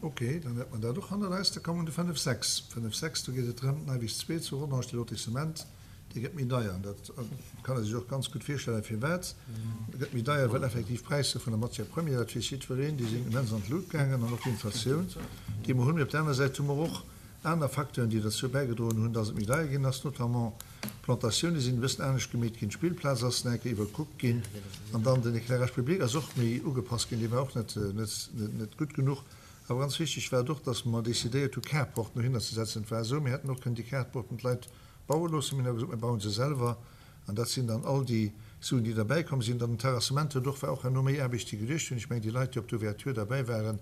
Ok, dann hätt mer dat och hannert eis. Da komme mer un de 5, 6. 5, 6, do geet et drëm, d'Neiweg 2 zu Rodange, de Lotissement, dee gëtt méi deier. An dat kann ee sech och ganz gutt virstellen, firwat. E gëtt méi deier, well effektiv d'Präisser vun der Matière première, dat weess jiddwereen, déi sinn immens an d'Lut gaangen an och d'Inflatioun, déi mer hunn. Mee op der aner Säit hu mer och aner Facteuren, déi derzou bäigedroen hunn, dass et méi deier ginn ass, notamment d'Plantatioune sinn e bëssen anescht gemeet ginn, d'Spillplaz ass nach eng Kéier iwwerkuckt ginn an dann den Éclairage public ass och méi ugepasst ginn, dee war och net, net, net gutt genuch. Awer ganz wichteg war et och, dass mer decidéiert hu Carporten dohinner ze setzen. Et war esou, mir hätten och kënnen déi Carporten d'Leit baue loossen, mir hunn awer gesot, mir bauen se selwer an dat sinn dann all déi Suen, déi derbäi komm sinn. Dann den Terrassement huet och, war och herno méi Aarbecht, déi geduecht hunn. Ech mengen, déi Leit, déi op der Ouverture derbäi waren,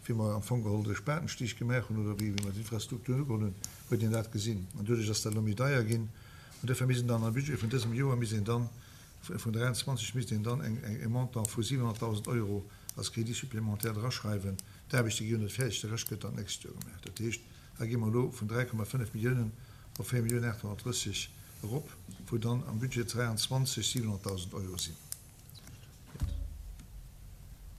wéi mer am Fong geholl de Spatenstich gemaach hunn oder wéi mer d'Infrastrukturen ugeholl hunn, huet een dat gesinn. An doduerch ass dat elo méi deier ginn. An duerfir misst een dann am Budget vun dësem Joer misst een dann, vun 23 misst een dann e Montant vu 700.000 Euro als Crédit supplémentaire draschreiwen. D'Aarbechte gi jo net fäerdeg, de Rescht gëtt dann d'nächst Joer gemaach. Dat heescht, hei gi mer elo vun 3,5 Milliounen op 4 Milliounen 830 erop, wou dann am Budget 23 700.000 Euro sinn.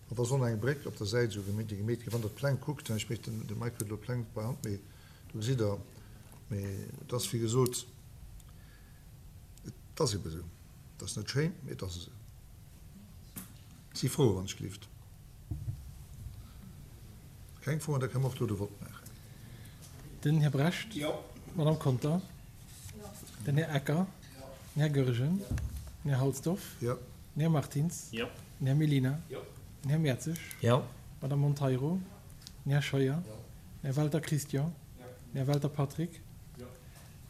An da soll nach eng Bréck op der Säit esou gemeet, déi gemeet ginn. Wann Der d'Pläng kuckt, ech mécht den, de Mike huet elo d'Pläng bei Hand, mee do gesitt Der, mee et ass wéi gesot, et ass ebe esou. Et ass net schéin, mee et ass esou. Si Froen, wann ech gelift? Keng Froen, da kënne mer och do de Vott maachen. Den Här Brecht. Jo. D'Madame Conter. Jo. Den Här Ecker. Jo. Den Här Goergen. Jo. Den Här Halsdorf. Jo. Den Här Martins. Jo. Den Här Mellina. Jo. Den Här Mertzig. Jo. D'Madame Monteiro. Den Här Scheuer. Jo. Den Här Welter Christian. Jo. Den Här Welter Patrick. Jo.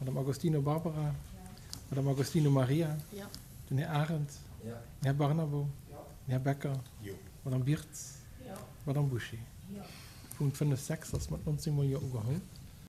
D'Madame Agostino Barbara. Jo. D'Madame Agostino Maria. Jo. Den Här Arendt. Jo. Den Här Barnabo. Jo. Den Här Becker. Jo. D'Madame Birtz. Jo. D'Madame Bouché. Jo. Punkt 5, 6 ass mat 19 mol Jo ugeholl.